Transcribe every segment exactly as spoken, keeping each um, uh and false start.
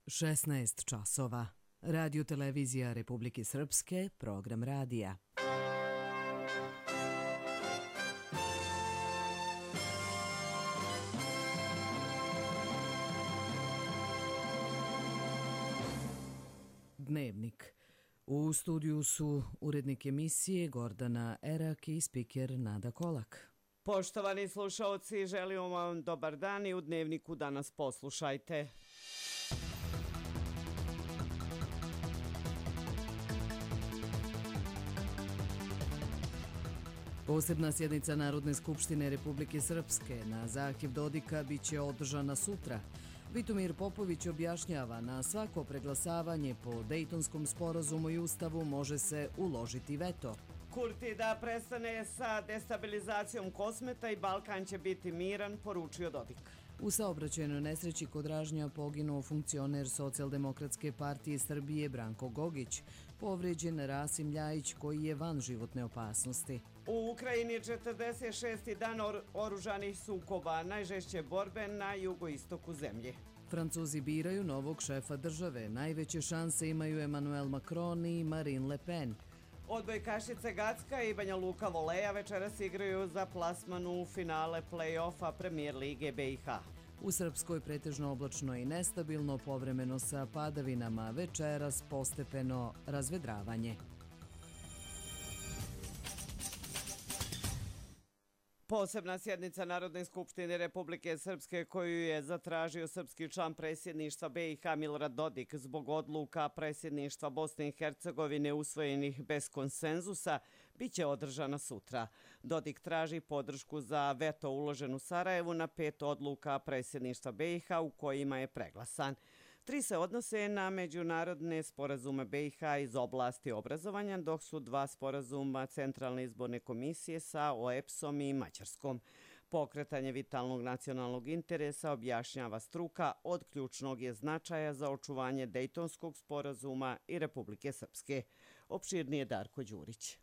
šesnaest časova. Radio televizija Republike Srpske, program radija. Dnevnik. U studiju su urednik emisije Gordana Erak i spiker Nada Kolak. Poštovani slušaoci, želimo vam dobar dan i u Dnevniku danas poslušajte. Posebna sjednica Narodne skupštine Republike Srpske na zahtjev Dodika biće održana sutra. Vitomir Popović objašnjava, na svako preglasavanje po Dejtonskom sporazumu i ustavu može se uložiti veto. Kurti da prestane sa destabilizacijom Kosmeta i Balkan će biti miran, poručio Dodik. U saobraćajnoj nesreći kod Ražnja poginuo funkcioner Socijaldemokratske partije Srbije Branko Gogić, povrijeđen Rasim Ljajić koji je van životne opasnosti. U Ukrajini četrdeset šesti dan or oružanih sukoba, najžešće borbe na jugoistoku zemlje. Francuzi biraju novog šefa države, najveće šanse imaju Emmanuel Macron i Marine Le Pen. Odbojkašice Gacka i Banja Luka Voleja večeras igraju za plasman u finale play-offa Premier lige B i H. U Srpskoj pretežno oblačno i nestabilno, povremeno sa padavinama, večeras postepeno razvedravanje. Posebna sjednica Narodne skupštine Republike Srpske koju je zatražio srpski član predsjedništva B i H Milorad Dodik zbog odluka predsjedništva Bosne i Hercegovine usvojenih bez konsenzusa biće održana sutra. Dodik traži podršku za veto uložen u Sarajevu na pet odluka predsjedništva B i H u kojima je preglasan. Tri se odnose na međunarodne sporazume B i H iz oblasti obrazovanja, dok su dva sporazuma Centralne izborne komisije sa O E P S-om i Mađarskom. Pokretanje vitalnog nacionalnog interesa, objašnjava struka, od ključnog je značaja za očuvanje Dejtonskog sporazuma i Republike Srpske. Opširnije Darko Đurić.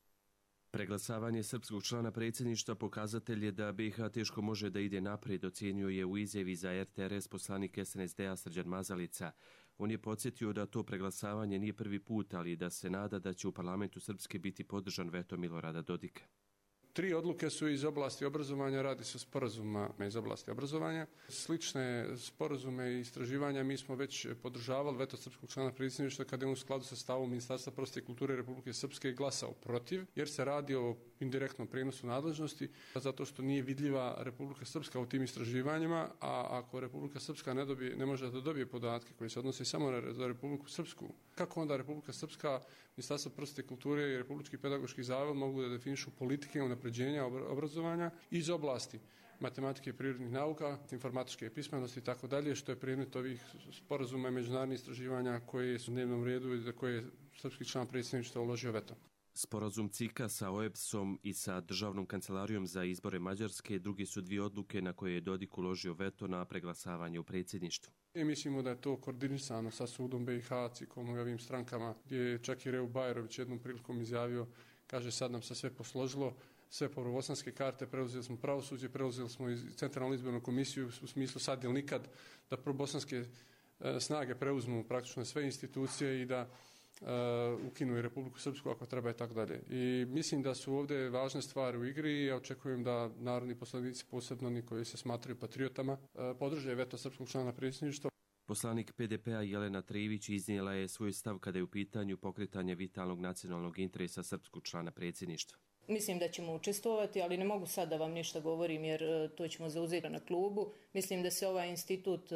Preglasavanje srpskog člana predsjedništva pokazatelj je da B i H teško može da ide naprijed, ocjenio je u izjavi za R T R S poslanik S N S D-a Srđan Mazalica. On je podsjetio da to preglasavanje nije prvi put, ali da se nada da će u parlamentu Srpske biti podržan veto Milorada Dodika. Tri odluke su iz oblasti obrazovanja, radi se o sporazuma iz oblasti obrazovanja. Slične sporazume i istraživanja mi smo već podržavali, veto srpskog člana predsjedništva kada je u skladu sa stavom Ministarstva prosvjete i kulture Republike Srpske glasao protiv, jer se radi o indirektnom prijenosu nadležnosti, zato što nije vidljiva Republika Srpska u tim istraživanjima, a ako Republika Srpska ne, dobije, ne može da dobije podatke koji se odnose samo na Republiku Srpsku, kako onda Republika Srpska, Ministarstvo prosvjete i kulture i Republički pedagoški zavod mogu da definišu politike unapređenja obrazovanja iz oblasti matematike i prirodnih nauka, informatičke pismenosti i tako dalje, što je predmet ovih sporazuma i međunarodnih istraživanja koje su u dnevnom redu i za koje je srpski član predsjedništva uložio veto. Sporazum C I K-a sa O E P S-om i sa Državnom kancelarijom za izbore Mađarske drugi su dvije odluke na koje je Dodik uložio veto na preglasavanje u predsjedništvu. I mislimo da je to koordinisano sa sudom B i H, C I K-om i ovim strankama, gdje je čak i Reu Bajerović jednom prilikom izjavio, kaže sad nam se sve posložilo, sve prvobosanske karte, preuzeli smo pravosuđe, preuzeli smo i Centralnu izbornu komisiju u smislu sad ili nikad da prvobosanske e, snage preuzmu praktično sve institucije i da Uh, ukinu i Republiku Srpsku ako treba i tako dalje. I mislim da su ovdje važne stvari u igri i ja očekujem da narodni poslanici, posebno oni koji se smatraju patriotama, uh, podrže veto srpskog člana predsjedništva. Poslanik P D P-a Jelena Trijević iznijela je svoj stav kada je u pitanju pokretanje vitalnog nacionalnog interesa srpskog člana predsjedništva. Mislim da ćemo učestvovati, ali ne mogu sad da vam ništa govorim jer to ćemo zauzeti na klubu. Mislim da se ovaj institut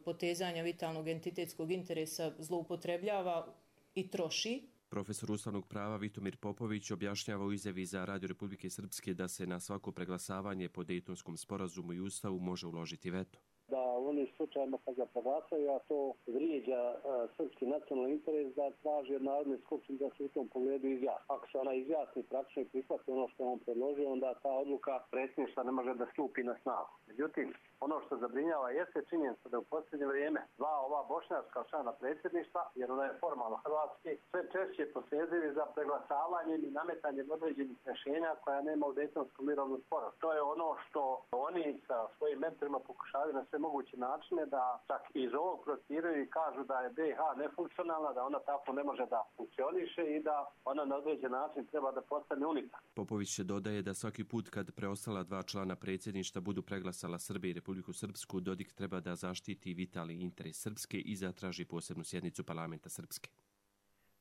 potezanja vitalnog entitetskog interesa zloupotrebljava i troši. Profesor ustavnog prava Vitomir Popović objašnjava u izjavi za Radio Republike Srpske da se na svako preglasavanje po Dejtonskom sporazumu i ustavu može uložiti veto. Da u onim slučajima kad ga proglasaju, a to vrijeđa uh, srpski nacionalni interes, da traži od Narodne skupštine da se u tom pogledu izjasni. Ako se ona izjasni praktično i prihvati ono što je on predložio, onda ta odluka predsjedništva ne može da stupi na snagu. Međutim, Ono što zabrinjava jeste činjenica da u posljednje vrijeme dva ova bošnjačka člana predsjedništva, jer ona je formalno hrvatski, sve češće posezili za preglasavanjem i nametanjem određenih rješenja koja nema u Dejtonskom mirovnom sporazumu. To je ono što oni sa svojim mentorima pokušavaju na sve moguće načine da čak iz ovog protiraju i kažu da je B i H nefunkcionalna, da ona tako ne može da funkcioniše i da ona na određen način treba da postane unika. Popović se dodaje da svaki put kad preostala dva člana predsjedništva budu preglasala Srbiju i Republiku Srpsku, Dodik treba da zaštiti vitalni interes Srpske i zatraži posebnu sjednicu parlamenta Srpske.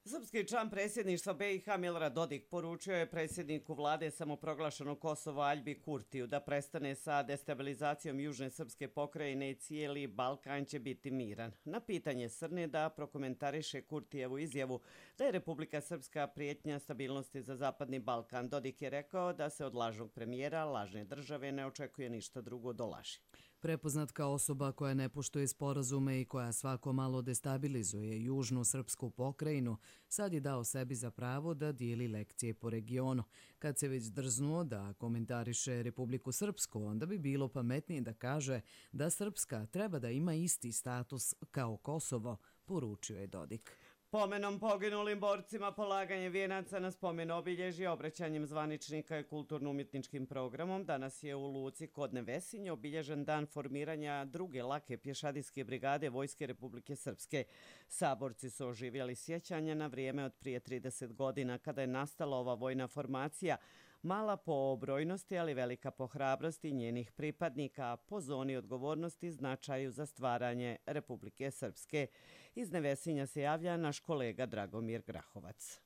Srpski član predsjedništva B i H Milorad Dodik poručio je predsjedniku vlade samoproglašenog Kosova Aljbi Kurtiju da prestane sa destabilizacijom južne srpske pokrajine i cijeli Balkan će biti miran. Na pitanje Srne da prokomentariše Kurtijevu izjavu da je Republika Srpska prijetnja stabilnosti za Zapadni Balkan, Dodik je rekao da se od lažnog premijera, lažne države ne očekuje ništa drugo do laži. Prepoznat kao osoba koja ne poštuje sporazume i koja svako malo destabilizuje južnu srpsku pokrajinu, sad je dao sebi za pravo da dijeli lekcije po regionu. Kad se već drznuo da komentariše Republiku Srpsku, onda bi bilo pametnije da kaže da Srpska treba da ima isti status kao Kosovo, poručio je Dodik. Pomenom poginulim borcima, polaganje vijenaca na spomen obilježje, obraćanjem zvaničnika i kulturno-umjetničkim programom, danas je u luci kod Nevesinje obilježen dan formiranja druge lake pješadijske brigade Vojske Republike Srpske. Saborci su oživjeli sjećanja na vrijeme od prije trideset godina kada je nastala ova vojna formacija, mala po brojnosti, ali velika po hrabrosti njenih pripadnika, po zoni odgovornosti i značaju za stvaranje Republike Srpske. Iz Nevesinja se javlja naš kolega Dragomir Grahovac.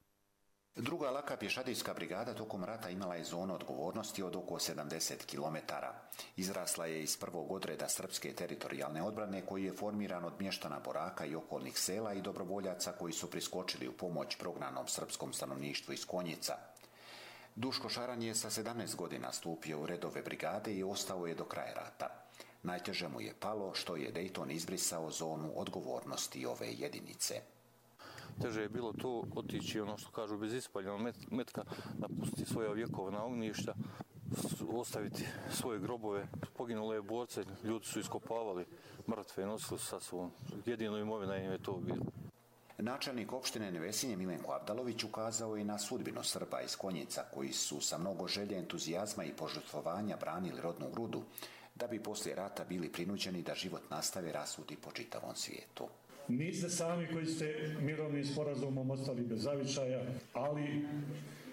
Druga laka pješadijska brigada tokom rata imala je zonu odgovornosti od oko sedamdeset kilometara. Izrasla je iz prvog odreda srpske teritorijalne odbrane koji je formiran od mještana Boraka i okolnih sela i dobrovoljaca koji su priskočili u pomoć prognanom srpskom stanovništvu iz Konjica. Duško Šaran je sa sedamnaest godina stupio u redove brigade i ostao je do kraja rata. Najteže mu je palo što je Dejton izbrisao zonu odgovornosti ove jedinice. Teže je bilo to otići, ono što kažu, bez ispaljenog metka, napustiti svoja vjekovna ognjišta, ostaviti svoje grobove. Poginule borce, ljudi su iskopavali mrtve i nosili sa svom. Jedino imovina im je to bilo. Načelnik opštine Nevesinje Milenko Avdalović ukazao je na sudbinu Srba iz Konjica koji su sa mnogo želje, entuzijazma i požrtvovanja branili rodnu grudu, da bi poslije rata bili prinuđeni da život nastave rasuti po čitavom svijetu. Niste sami koji ste mirovnim sporazumom ostali bez zavičaja, ali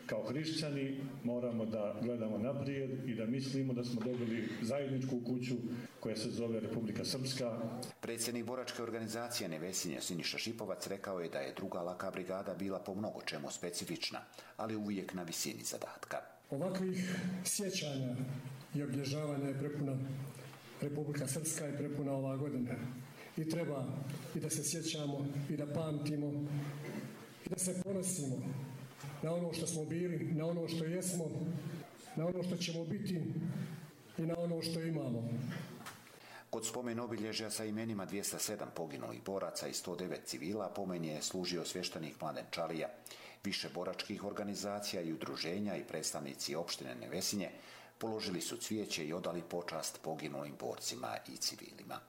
kao hrišćani moramo da gledamo naprijed i da mislimo da smo dobili zajedničku kuću koja se zove Republika Srpska. Predsjednik boračke organizacije Nevesinje Siniša Šipovac rekao je da je druga laka brigada bila po mnogo čemu specifična, ali uvijek na visini zadatka. Ovakvih sjećanja i obilježavanja je prepuna Republika Srpska i prepuna ova godina. I treba i da se sjećamo i da pamtimo i da se ponosimo na ono što smo bili, na ono što jesmo, na ono što ćemo biti i na ono što imamo. Kod spomen obilježja sa imenima dvjesto sedam poginulih boraca i sto devet civila pomen je služio svještenik Mladen Čalija. Više boračkih organizacija i udruženja i predstavnici opštine Nevesinje položili su cvijeće i odali počast poginulim borcima i civilima.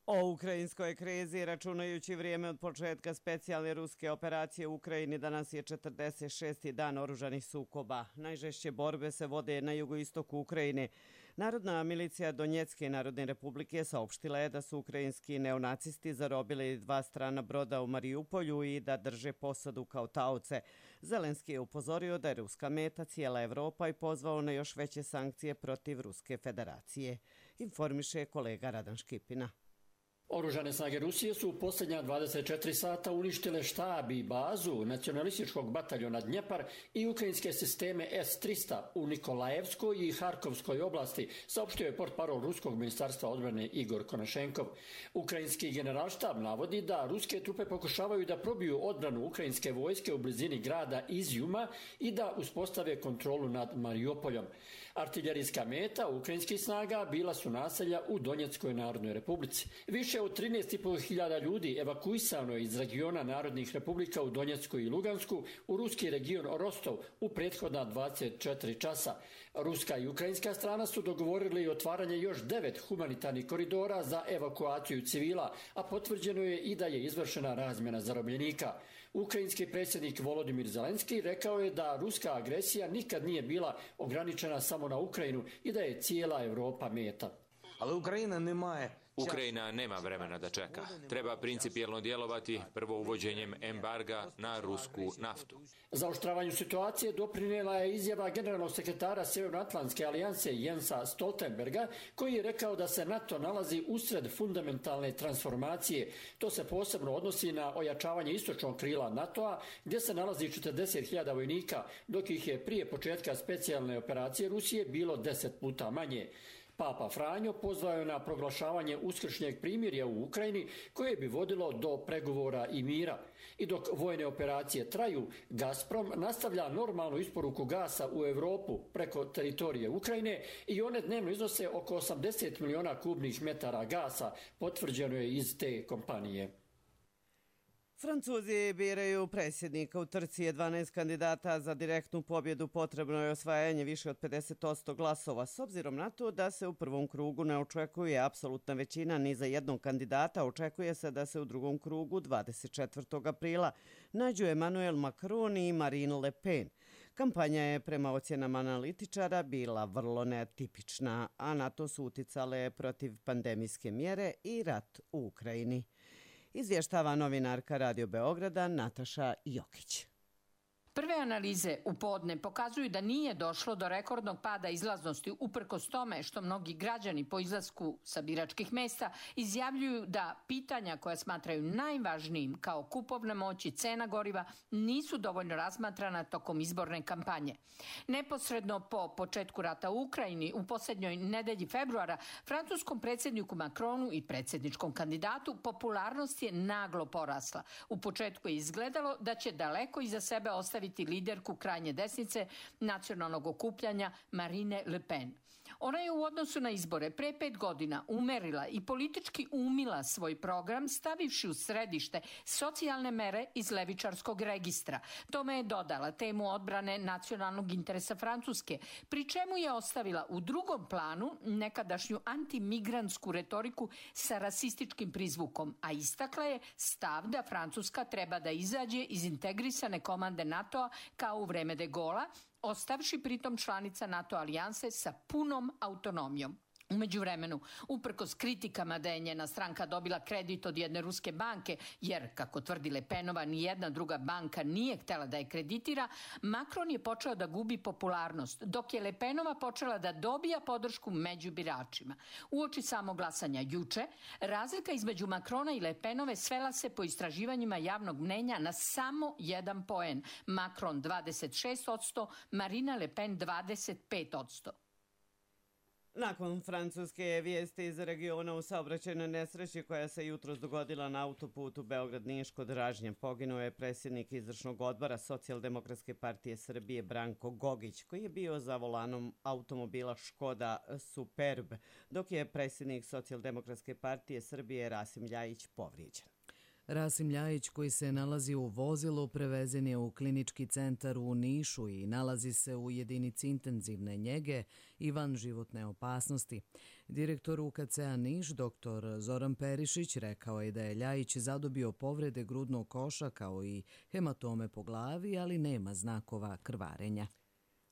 O ukrajinskoj krizi, računajući vrijeme od početka specijalne ruske operacije u Ukrajini, danas je četrdeset šesti dan oružanih sukoba. Najžešće borbe se vode na jugoistoku Ukrajine. Narodna milicija Donjecke narodne republike saopštila je da su ukrajinski neonacisti zarobili dva strana broda u Mariupolju i da drže posadu kao taoce. Zelenski je upozorio da je ruska meta cijela Evropa i pozvao na još veće sankcije protiv Ruske federacije. Informiše kolega Radan Škipina. Oružane snage Rusije su u posljednja dvadeset četiri sata uništile štab i bazu nacionalističkog bataljona Dnjepar i ukrajinske sisteme S tristo u Nikolajevskoj i Harkovskoj oblasti, saopštio je portparol Ruskog ministarstva odbrane Igor Konašenkov. Ukrajinski generalštab navodi da ruske trupe pokušavaju da probiju odbranu ukrajinske vojske u blizini grada Izjuma i da uspostave kontrolu nad Mariupoljom. Artiljerijska meta ukrajinskih snaga bila su naselja u Donjeckoj narodnoj republici. Više Više od trinaest i po hiljada ljudi evakuisano je iz regiona Narodnih republika u Donjecku i Lugansku u ruski region Rostov u prethodna dvadeset četiri časa. Ruska i ukrajinska strana su dogovorili otvaranje još devet humanitarnih koridora za evakuaciju civila, a potvrđeno je i da je izvršena razmjena zarobljenika. Ukrajinski predsjednik Volodimir Zelenski rekao je da ruska agresija nikad nije bila ograničena samo na Ukrajinu i da je cijela Europa meta. Ali Ukrajina nemaje Ukrajina nema vremena da čeka. Treba principijelno djelovati prvo uvođenjem embarga na rusku naftu. Zaoštravanju situacije doprinijela je izjava generalnog sekretara Sjevernoatlantske alijanse Jensa Stoltenberga, koji je rekao da se NATO nalazi usred fundamentalne transformacije. To se posebno odnosi na ojačavanje istočnog krila NATO-a, gdje se nalazi četrdeset hiljada vojnika, dok ih je prije početka specijalne operacije Rusije bilo deset puta manje. Papa Franjo pozvao je na proglašavanje uskršnjeg primirja u Ukrajini koje bi vodilo do pregovora i mira. I dok vojne operacije traju, Gazprom nastavlja normalnu isporuku gasa u Europu preko teritorije Ukrajine i one dnevno iznose oko osamdeset miliona kubnih metara gasa, potvrđeno je iz te kompanije. Francuzi biraju predsjednika. U trci je dvanaest kandidata. Za direktnu pobjedu potrebno je osvajanje više od pedeset posto glasova. S obzirom na to da se u prvom krugu ne očekuje apsolutna većina ni za jednog kandidata, očekuje se da se u drugom krugu dvadeset četvrtog aprila nađu Emmanuel Macron i Marine Le Pen. Kampanja je prema ocjenama analitičara bila vrlo netipična, a na to su uticale protiv pandemijske mjere i rat u Ukrajini. Izvještava novinarka Radio Beograda Nataša Jokić. Prve analize u podne pokazuju da nije došlo do rekordnog pada izlaznosti uprkos tome što mnogi građani po izlasku sa biračkih mesta izjavljuju da pitanja koja smatraju najvažnijim kao kupovna moć i cena goriva nisu dovoljno razmatrana tokom izborne kampanje. Neposredno po početku rata u Ukrajini u posljednjoj nedelji februara francuskom predsjedniku Macronu i predsjedničkom kandidatu popularnost je naglo porasla. U početku je izgledalo da će daleko iza sebe ostaviti liderku krajnje desnice nacionalnog okupljanja Marine Le Pen. Ona je u odnosu na izbore pre pet godina umerila i politički umila svoj program stavivši u središte socijalne mere iz levičarskog registra. Tome je dodala temu odbrane nacionalnog interesa Francuske, pri čemu je ostavila u drugom planu nekadašnju antimigrantsku retoriku sa rasističkim prizvukom, a istakla je stav da Francuska treba da izađe iz integrisane komande NATO-a kao u vreme de Gaulla, ostavši pritom članica NATO alijanse sa punom autonomijom. U međuvremenu, uprkos kritikama da je njena stranka dobila kredit od jedne ruske banke, jer, kako tvrdi Le Penova, ni jedna druga banka nije htjela da je kreditira, Macron je počeo da gubi popularnost, dok je Le Penova počela da dobija podršku među biračima. Uoči samog glasanja juče, razlika između Macrona i Le Penove svela se po istraživanjima javnog mnenja na samo jedan poen. Macron dvadeset šest posto, Marine Le Pen dvadeset pet posto. Nakon francuske vijesti iz regiona u saobraćajnoj nesreći koja se jutros dogodila na autoputu Beograd-Niš kod Ražnje, poginuo je predsjednik izvršnog odbora Socijaldemokratske partije Srbije Branko Gogić, koji je bio za volanom automobila Škoda Superb, dok je predsjednik Socijaldemokratske partije Srbije Rasim Ljajić povrijeđen. Rasim Ljajić, koji se nalazi u vozilu, prevezen je u klinički centar u Nišu i nalazi se u jedinici intenzivne njege i van životne opasnosti. Direktor U K C-a Niš, doktor Zoran Perišić, rekao je da je Ljajić zadobio povrede grudnog koša kao i hematome po glavi, ali nema znakova krvarenja.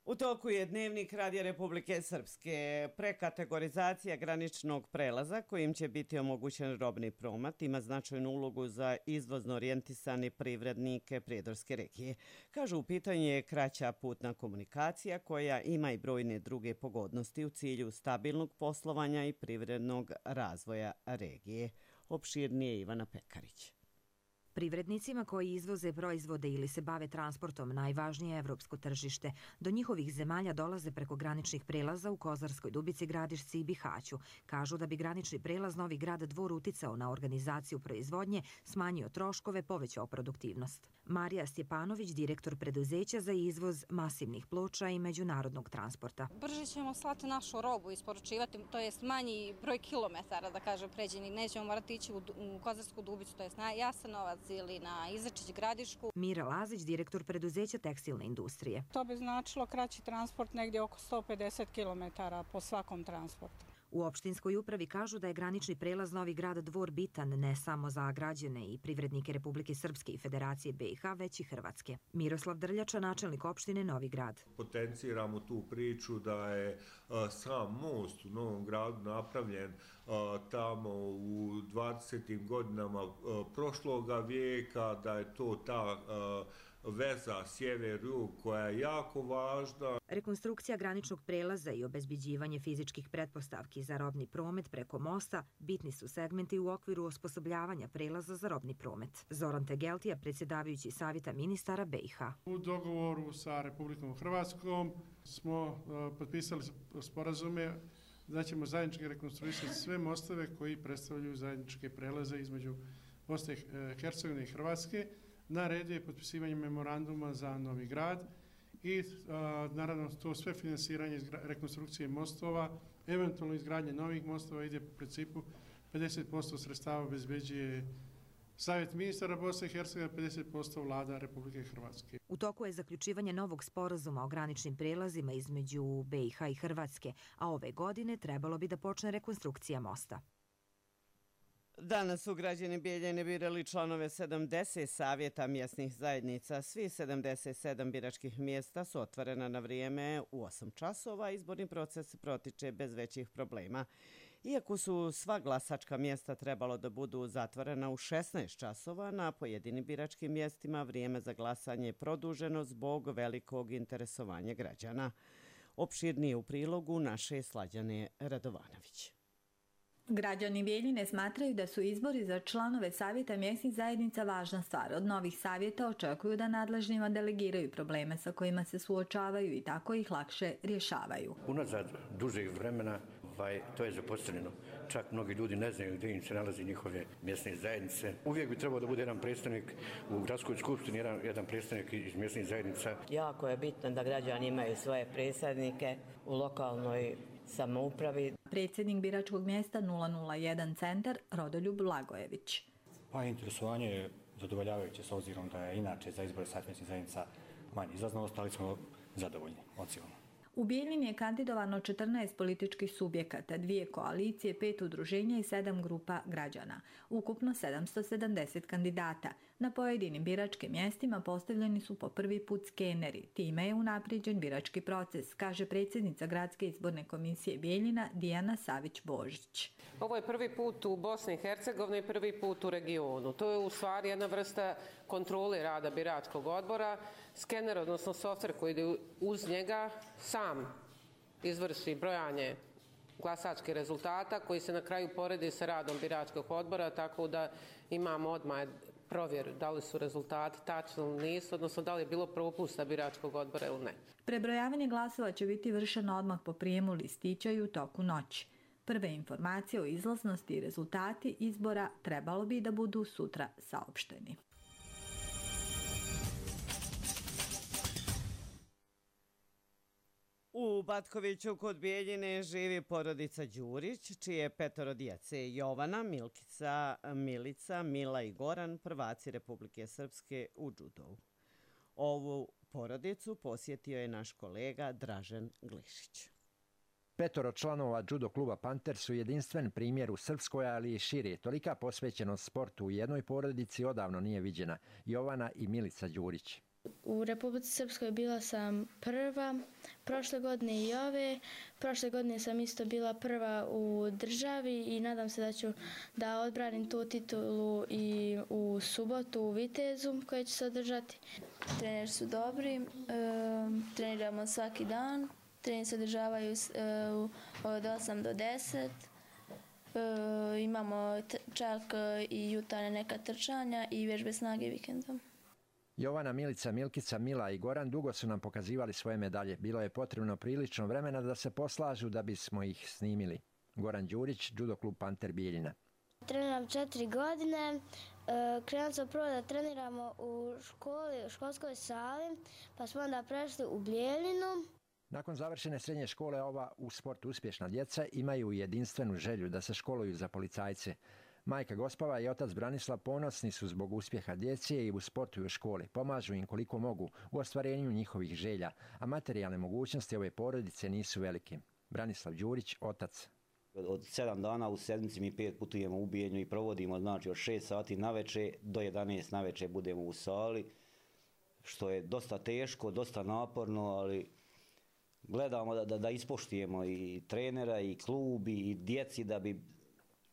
U toku je Dnevnik Radija Republike Srpske. Prekategorizacija graničnog prelaza kojim će biti omogućen robni promet ima značajnu ulogu za izvozno orijentisane privrednike Prijedorske regije. Kažu, u pitanju je kraća putna komunikacija koja ima i brojne druge pogodnosti u cilju stabilnog poslovanja i privrednog razvoja regije. Opširnije Ivana Pekarić. Privrednicima koji izvoze proizvode ili se bave transportom najvažnije je evropsko tržište. Do njihovih zemalja dolaze preko graničnih prelaza u Kozarskoj Dubici, Gradišci i Bihaću. Kažu da bi granični prelaz Novi Grad Dvor uticao na organizaciju proizvodnje, smanjio troškove, povećao produktivnost. Marija Stjepanović, direktor preduzeća za izvoz masivnih ploča i međunarodnog transporta. Brže ćemo slati našu robu, isporučivati, to jest manji broj kilometara, da kažem, pređeni. Nećemo morati ići u Kozarsku Dubicu, to jest na Jasenovac ili na Izačić, Gradišku. Mira Lazić, direktor preduzeća tekstilne industrije. To bi značilo kraći transport negdje oko sto pedeset kilometara po svakom transportu. U opštinskoj upravi kažu da je granični prelaz Novi Grad Dvor bitan ne samo za građane i privrednike Republike Srpske i Federacije B i H, već i Hrvatske. Miroslav Drljača, načelnik opštine Novi Grad. Potenciramo tu priču da je sam most u Novom Gradu napravljen tamo u dvadesetim godinama prošloga vijeka, da je to ta veza sjever-jug koja je jako važna. Rekonstrukcija graničnog prelaza i obezbeđivanje fizičkih pretpostavki za robni promet preko mosta bitni su segmenti u okviru osposobljavanja prelaza za robni promet. Zoran Tegeltija, predsjedavajući Savjeta ministara B i H. U dogovoru sa Republikom Hrvatskom smo potpisali sporazume da ćemo zajednički rekonstruisati sve mostove koji predstavljaju zajedničke prelaze između Bosne i Hercegovine i Hrvatske. Na redu je potpisivanje memoranduma za Novi Grad i a, naravno to sve finansiranje rekonstrukcije mostova, eventualno izgradnje novih mostova ide u principu pedeset posto sredstava obezbeđuje Savjet ministara Bosne i Hercegovine, pedeset posto vlada Republike Hrvatske. U toku je zaključivanje novog sporazuma o graničnim prelazima između B i H i Hrvatske, a ove godine trebalo bi da počne rekonstrukcija mosta. Danas su građani Bijeljine birali članove sedamdeset savjeta mjesnih zajednica. Svi sedamdeset sedam biračkih mjesta su otvorena na vrijeme u osam časova. Izborni proces protiče bez većih problema. Iako su sva glasačka mjesta trebalo da budu zatvorena u šesnaest časova, na pojedinim biračkim mjestima vrijeme za glasanje je produženo zbog velikog interesovanja građana. Opširnije u prilogu naše Slađane Radovanović. Građani Bijeljine smatraju da su izbori za članove savjeta mjesnih zajednica važna stvar. Od novih savjeta očekuju da nadležnjima delegiraju probleme sa kojima se suočavaju i tako ih lakše rješavaju. Unazad dužeg vremena ovaj, to je zapostavljeno. Čak mnogi ljudi ne znaju gdje im se nalazi njihove mjesne zajednice. Uvijek bi trebao da bude jedan predstavnik u gradskoj skupštini, jedan, jedan predstavnik iz mjesnih zajednica. Jako je bitno da građani imaju svoje predstavnike u lokalnoj samoupravi. Predsjednik biračkog mjesta nula nula jedan centar Rodoljub Lagojević. Pa interesovanje je zadovoljavajuće s obzirom da je inače za izbore savjetnih zajednica manje izlaznost, ali smo zadovoljni ocjenom. U Bijeljini je kandidovano četrnaest političkih subjekata, dvije koalicije, pet udruženja i sedam grupa građana. Ukupno sedamsto sedamdeset kandidata. Na pojedinim biračkim mjestima postavljeni su po prvi put skeneri. Time je unaprijeđen birački proces, kaže predsjednica Gradske izborne komisije Bijeljina Dijana Savić-Božić. Ovo je prvi put u Bosni i Hercegovini i prvi put u regionu. To je u stvari jedna vrsta kontrole rada biračkog odbora. Skener, odnosno softver koji ide uz njega, sam izvrši brojanje glasačkih rezultata koji se na kraju poredi sa radom biračkog odbora, tako da imamo odmah provjeru da li su rezultati tačni ili nisu, odnosno da li je bilo propusta biračkog odbora ili ne. Prebrojavanje glasova će biti vršeno odmah po prijemu listića i u toku noći. Prve informacije o izlaznosti i rezultati izbora trebalo bi da budu sutra saopšteni. U Batkoviću kod Bijeljine živi porodica Đurić, čije petoro djece Jovana, Milkica, Milica, Mila i Goran, prvaci Republike Srpske u džudovu. Ovu porodicu posjetio je naš kolega Dražen Glišić. Petoro članova judo kluba Panter su jedinstven primjer u Srpskoj, ali i šire. Tolika posvećenost sportu u jednoj porodici odavno nije viđena. Jovana i Milica Đurić. U Republici Srpskoj bila sam prva, prošle godine i ove. Prošle godine sam isto bila prva u državi i nadam se da ću da odbranim tu titulu i u subotu u Vitezu koje će se održati. Treneri su dobri, e, treniramo svaki dan, treneri se održavaju e, od osam do deset. E, imamo čak i jutarnje neka trčanja i vježbe snage vikendom. Jovana, Milica, Milkica, Mila i Goran dugo su nam pokazivali svoje medalje. Bilo je potrebno prilično vremena da se poslažu da bismo ih snimili. Goran Đurić, judo klub Panter Bijeljina. Treniram četiri godine. Krenuli smo prvo da treniramo u školi, u školskoj sali, pa smo onda prešli u Bijeljinu. Nakon završene srednje škole ova u sportu uspješna djeca imaju jedinstvenu želju da se školuju za policajce. Majka Gospava i otac Branislav ponosni su zbog uspjeha djece i u sportu i u školi. Pomažu im koliko mogu u ostvarenju njihovih želja, a materijalne mogućnosti ove porodice nisu velike. Branislav Đurić, otac. Od sedam dana u sedmici mi pet putujemo u Bijeljinu i provodimo, znači od šest sati naveče do jedanaest naveče budemo u sali, što je dosta teško, dosta naporno, ali gledamo da, da, da ispoštujemo i trenera i klub i djeci da bi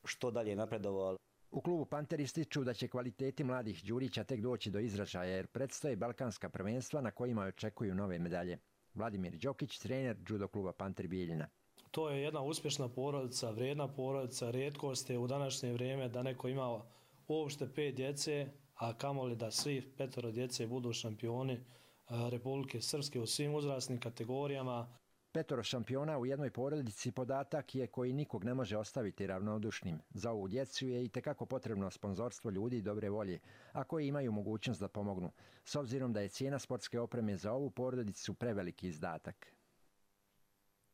što dalje napredovali. U klubu Panter ističu da će kvaliteti mladih Đurića tek doći do izražaja jer predstoje balkanska prvenstva na kojima očekuju nove medalje. Vladimir Đokić, trener judo kluba Panter Bijeljina. To je jedna uspješna porodica, vrijedna porodica, rijetkost je u današnje vrijeme da neko ima uopšte pet djece, a kamoli da svi petoro djece budu šampioni Republike Srpske u svim uzrasnim kategorijama. Petoro šampiona u jednoj porodici podatak je koji nikog ne može ostaviti ravnodušnim. Za ovu djecu je itekako potrebno sponzorstvo ljudi dobre volje, a koji imaju mogućnost da pomognu, s obzirom da je cijena sportske opreme za ovu porodicu preveliki izdatak.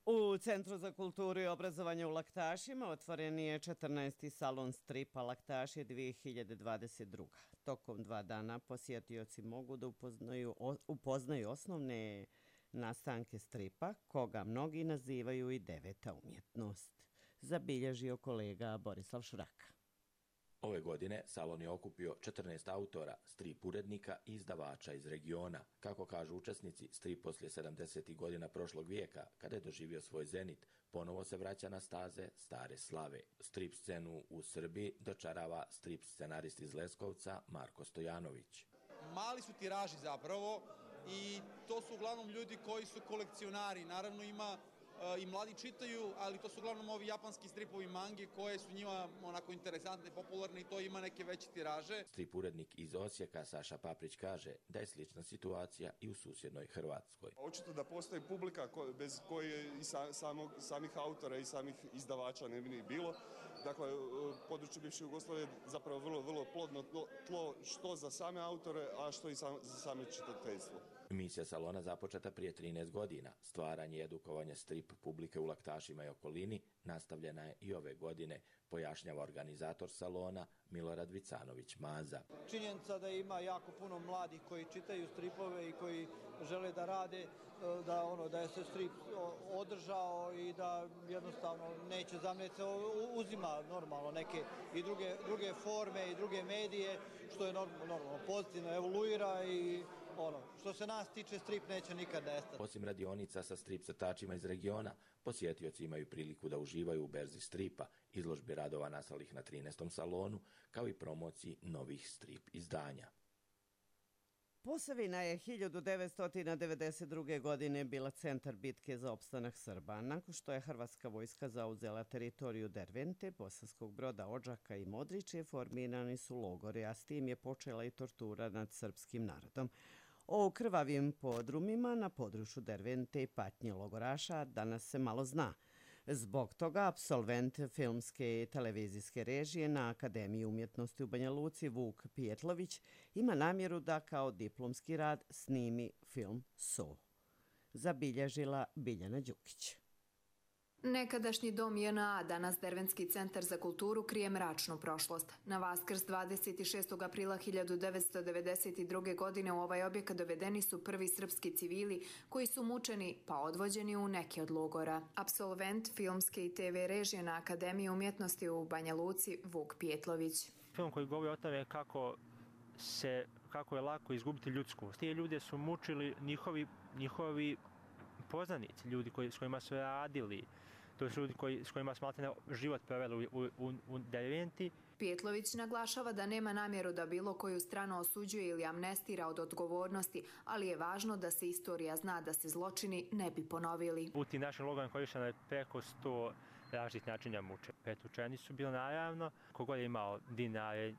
U Centru za kulturu i obrazovanje u Laktašima otvoren je četrnaesti salon stripa Laktaši dvije hiljade dvadeset druge. Tokom dva dana posjetioci mogu da upoznaju, upoznaju osnovne nastanke stripa, koga mnogi nazivaju i deveta umjetnost, zabilježio kolega Borislav Šuraka. Ove godine salon je okupio četrnaest autora, strip urednika i izdavača iz regiona. Kako kažu učesnici, strip poslije sedamdesetih godina prošlog vijeka, kada je doživio svoj zenit, ponovo se vraća na staze stare slave. Strip scenu u Srbiji dočarava strip scenarist iz Leskovca Marko Stojanović. Mali su tiraži zapravo i to su uglavnom ljudi koji su kolekcionari. Naravno ima i mladi čitaju, ali to su uglavnom ovi japanski stripovi mange koje su njima onako interesantne, popularne i to ima neke veće tiraže. Strip urednik iz Osijeka Saša Paprić kaže da je slična situacija i u susjednoj Hrvatskoj. Očito da postoji publika bez koje i samog, samih autora i samih izdavača ne bi ni bilo. Dakle, područje bivše Jugoslavije je zapravo vrlo, vrlo plodno tlo što za same autore, a što i sam, za same čitateljstvo. Misija salona započeta prije trinaest godina. Stvaranje i edukovanje strip publike u Laktašima i okolini nastavljena je i ove godine, pojašnjava organizator salona Milorad Vicanović-Maza. Činjenica da ima jako puno mladih koji čitaju stripove i koji žele da rade, da, ono, da je se strip održao i da jednostavno neće zamljeti, se uzima normalno neke i druge, druge forme i druge medije, što je normalno, normalno pozitivno evoluira i ono, što se nas tiče, strip neće nikad nestati. Osim radionica sa strip crtačima iz regiona, posjetioci imaju priliku da uživaju u berzi stripa, izložbi radova nastalih na trinaestom salonu, kao i promociji novih strip izdanja. Posavina je hiljadu devetsto devedeset druge. godine bila centar bitke za opstanak Srba. Nakon što je hrvatska vojska zauzela teritoriju Dervente, Bosanskog Broda, Odžaka i Modriče, formirani su logori, a s tim je počela i tortura nad srpskim narodom. O krvavim podrumima na području Dervente i patnje logoraša danas se malo zna. Zbog toga apsolvent filmske i televizijske režije na Akademiji umjetnosti u Banja Luci Vuk Pijetlović ima namjeru da kao diplomski rad snimi film So. Zabilježila Biljana Đukić. Nekadašnji dom J N A, danas Dervenski centar za kulturu, krije mračnu prošlost. Na Vaskrs dvadeset šestog aprila hiljadu devetsto devedeset druge. godine u ovaj objekat dovedeni su prvi srpski civili koji su mučeni pa odvođeni u neke od logora. Apsolvent filmske i te ve režije na Akademiji umjetnosti u Banja Luci Vuk Pijetlović. Film koji govori o tome kako se kako je lako izgubiti ljudskost. Ti ljude su mučili njihovi, njihovi poznanici, ljudi koji, s kojima su radili. To su ljudi koji, s kojima smo život proveli u, u, u Derventi. Pijetlović naglašava da nema namjeru da bilo koju stranu osuđuje ili amnestira od odgovornosti, ali je važno da se istorija zna da se zločini ne bi ponovili. U tim našim logorima korišteno je preko sto različitih načina muče. Pretučeni su bili naravno, kogod je imao dinare,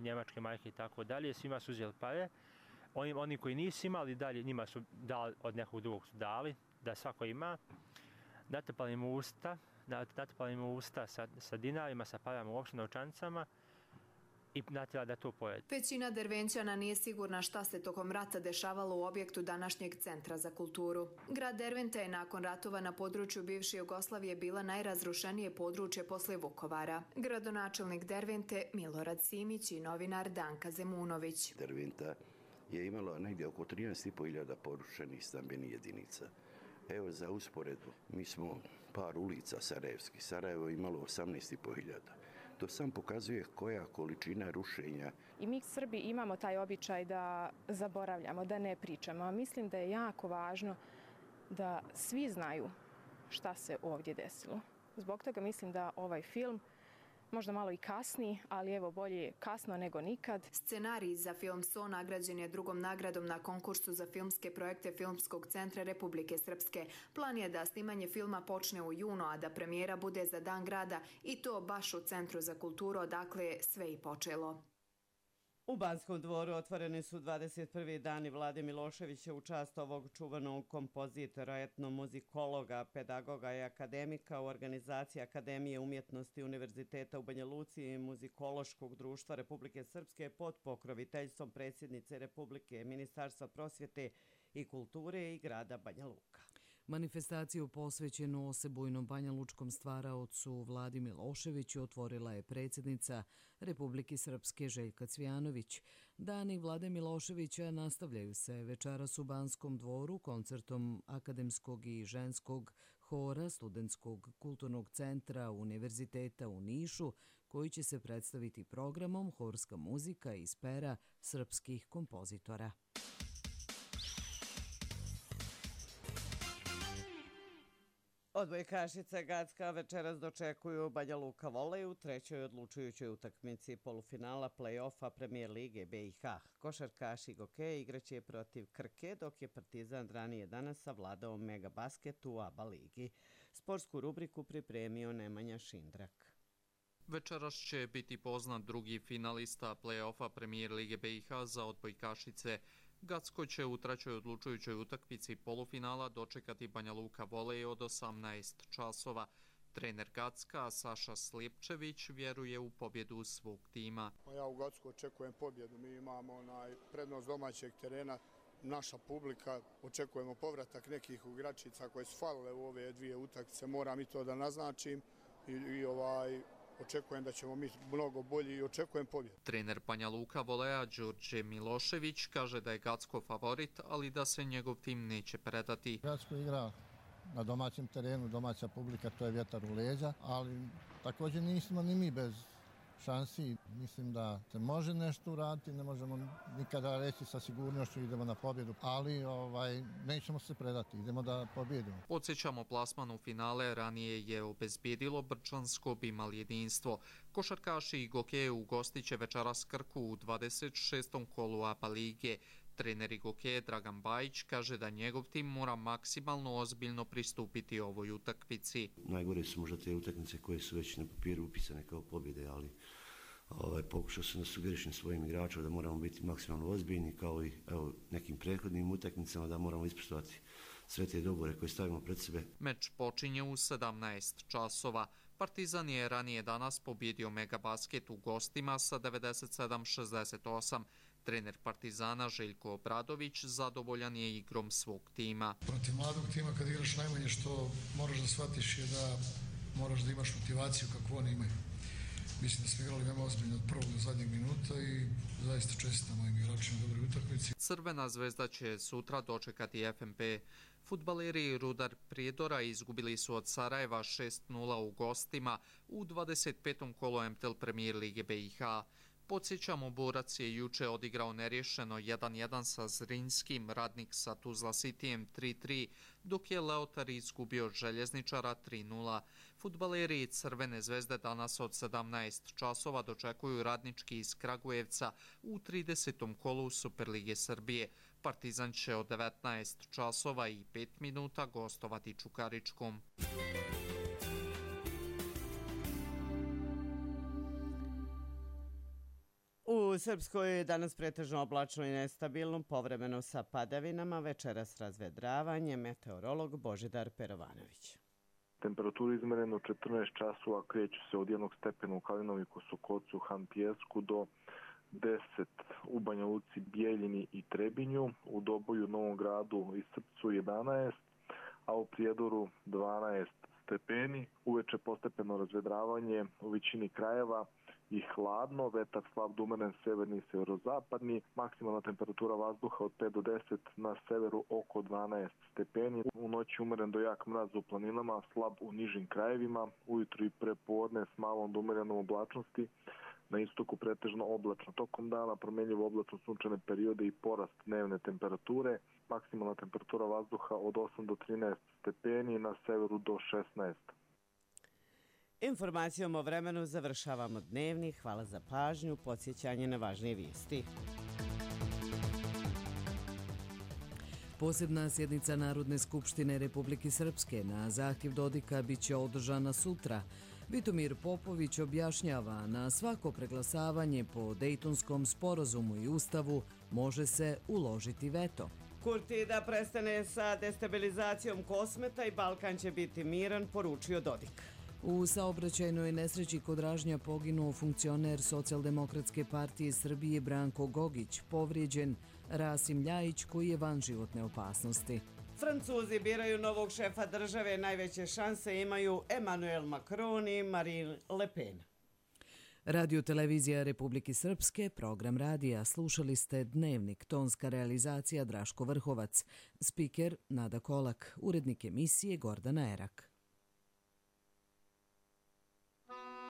njemačke marke i tako dalje, svima su uzeli pare. Oni, oni koji nisu imali dalje, njima su dali, od nekog drugog su dali, da svako ima. Natrpali im usta, natrpali im usta sa, sa dinarima, sa parama, uopšte novčanicama i natjela da to pojede. Većina Dervenčana nije sigurna šta se tokom rata dešavalo u objektu današnjeg Centra za kulturu. Grad Derventa je nakon ratova na području bivše Jugoslavije bila najrazrušenije područje posle Vukovara. Gradonačelnik Dervente Milorad Simić i novinar Danka Zemunović. Derventa je imalo negdje oko trinaest i po hiljada porušenih stambenih jedinica. Evo za usporedbu, mi smo par ulica sarajevskih. Sarajevo je imalo osamnaest i po hiljada. To sam pokazuje koja količina rušenja. I mi Srbi imamo taj običaj da zaboravljamo, da ne pričamo. Mislim da je jako važno da svi znaju šta se ovdje desilo. Zbog toga mislim da ovaj film možda malo i kasni, ali evo bolje kasno nego nikad. Scenarij za film So nagrađen je drugom nagradom na konkursu za filmske projekte Filmskog centra Republike Srpske. Plan je da snimanje filma počne u junu, a da premijera bude za Dan grada i to baš u Centru za kulturu, odakle je sve i počelo. U Banskom dvoru otvoreni su dvadeset prvi dani Vlade Miloševića u čast ovog čuvanog kompozitora, etnomuzikologa, pedagoga i akademika u organizaciji Akademije umjetnosti Univerziteta u Banja Luci i Muzikološkog društva Republike Srpske pod pokroviteljstvom predsjednice Republike, Ministarstva prosvjete i kulture i grada Banja Luka. Manifestaciju posvećenu osebujnom banjalučkom stvaraocu Vladi Miloševiću otvorila je predsjednica Republike Srpske Željka Cvijanović. Dani Vlade Miloševića nastavljaju se večeras u Banskom dvoru koncertom akademskog i ženskog hora Studentskog kulturnog centra Univerziteta u Nišu, koji će se predstaviti programom Horska muzika iz pera srpskih kompozitora. Odbojkašice Gacka večeras dočekuju Banja Luka volej u trećoj odlučujućoj utakmici polufinala play-offa Premijer lige B i H. Košarkaši Gokeja igraće protiv Krke, dok je Partizan ranije danas savladao Megabasket u A B A ligi. Sportsku rubriku pripremio Nemanja Šindrak. Večeras će biti poznat drugi finalista play-offa Premijer lige B i H za odbojkašice. Gacko će u trećoj odlučujućoj utakmici polufinala dočekati Banja Luka volej od osamnaest časova. Trener Gacka, Saša Slijepčević, vjeruje u pobjedu svog tima. Ja u Gacku očekujem pobjedu. Mi imamo onaj prednost domaćeg terena, naša publika, očekujemo povratak nekih igračica koje su falile u ove dvije utakmice. Moram i to da naznačim i, i ovaj... Očekujem da ćemo mi mnogo bolji i očekujem pobjedu. Trener Banja Luka voleja Đorđe Milošević kaže da je Gacko favorit, ali da se njegov tim neće predati. Gacko igra na domaćem terenu, domaća publika, to je vjetar u leđa, ali također nismo ni mi bez šansi. Mislim da se može nešto uraditi, ne možemo nikada reći sa sigurnošću idemo na pobjedu, ali ovaj, nećemo se predati, idemo da pobjedimo. Podsjećamo, plasman u finale ranije je obezbijedilo Brčansko Bimal jedinstvo. Košarkaši i Gokeje ugostit će večeras Krku u dvadeset šestom kolu A B A lige. Trener Gokeje Dragan Bajić kaže da njegov tim mora maksimalno ozbiljno pristupiti ovoj utakmici. Najgore su možda te utakmice koje su već na papiru upisane kao pobjede, ali ovaj, pokušao sam da sugerišem svojim igračima da moramo biti maksimalno ozbiljni, kao i evo, nekim prethodnim utakmicama, da moramo ispoštovati sve te dogovore koje stavimo pred sebe. Meč počinje u sedamnaest časova. Partizan je ranije danas pobjedio Megabasket u gostima sa devedeset sedam šezdeset osam. Trener Partizana Željko Obradović zadovoljan je igrom svog tima. Protiv mladog tima kad igraš najmanje što moraš da shvatiš je da moraš da imaš motivaciju kakvu oni imaju. Mislim da smo igrali veoma ozbiljno od prvog do zadnjeg minuta i zaista čestitam mojim igračima u dobroj utakmici. Crvena zvezda će sutra dočekati F M P. Fudbaleri Rudar Prijedora izgubili su od Sarajeva šest nula u gostima u dvadeset petom kolu M T L Premijer lige B i H. Podsjećamo, Borac je juče odigrao nerješeno jedan jedan sa Zrinskim, Radnik sa Tuzla Cityjem tri tri, dok je Leotar izgubio od Željezničara tri nula. Fudbaleri Crvene zvezde danas od sedamnaest časova dočekuju Radnički iz Kragujevca u tridesetom kolu Superlige Srbije. Partizan će od devetnaest časova i pet minuta gostovati Čukaričkom. U Srpskoj je danas pretežno oblačno i nestabilno, povremeno sa padavinama, večeras razvedravanje, meteorolog Božidar Perovanović. Temperatura izmerena u četrnaest časova kreću se od jednog stepena u Kalinoviku, Sokocu, Hantijevsku do deset u Banja Luci, Bijeljini i Trebinju, u Doboju, Novom Gradu i Srpcu jedanaest, a u Prijedoru dvanaest stepeni. Uveče postepeno razvedravanje u većini krajeva i hladno, vetar slab do umeren severni i severozapadni, maksimalna temperatura vazduha od pet do deset, na severu oko dvanaest stepeni. U noći umeren do jak mraz u planinama, slab u nižim krajevima, ujutru i prepodne s malom do umerenom oblačnosti, na istoku pretežno oblačno. Tokom dana promjenjivo oblačno sunčane periode i porast dnevne temperature, maksimalna temperatura vazduha od osam do trinaest stepeni, na severu do šesnaest. Informacijom o vremenu završavamo dnevni. Hvala za pažnju, podsjećanje na važnije vijesti. Posebna sjednica Narodne skupštine Republike Srpske na zahtjev Dodika biće održana sutra. Vitomir Popović objašnjava, na svako preglasavanje po Dejtonskom sporazumu i ustavu može se uložiti veto. Kurti da prestane sa destabilizacijom Kosmeta i Balkan će biti miran, poručio Dodik. U saobraćajnoj nesreći kod Ražnja poginuo funkcioner Socijaldemokratske partije Srbije Branko Gogić, povrijeđen Rasim Ljajić koji je van životne opasnosti. Francuzi biraju novog šefa države, najveće šanse imaju Emmanuel Macron i Marine Le Pen. Radio televizija Republike Srpske, program radija, slušali ste Dnevnik, tonska realizacija Draško Vrhovac, spiker Nada Kolak, urednik emisije Gordana Erak.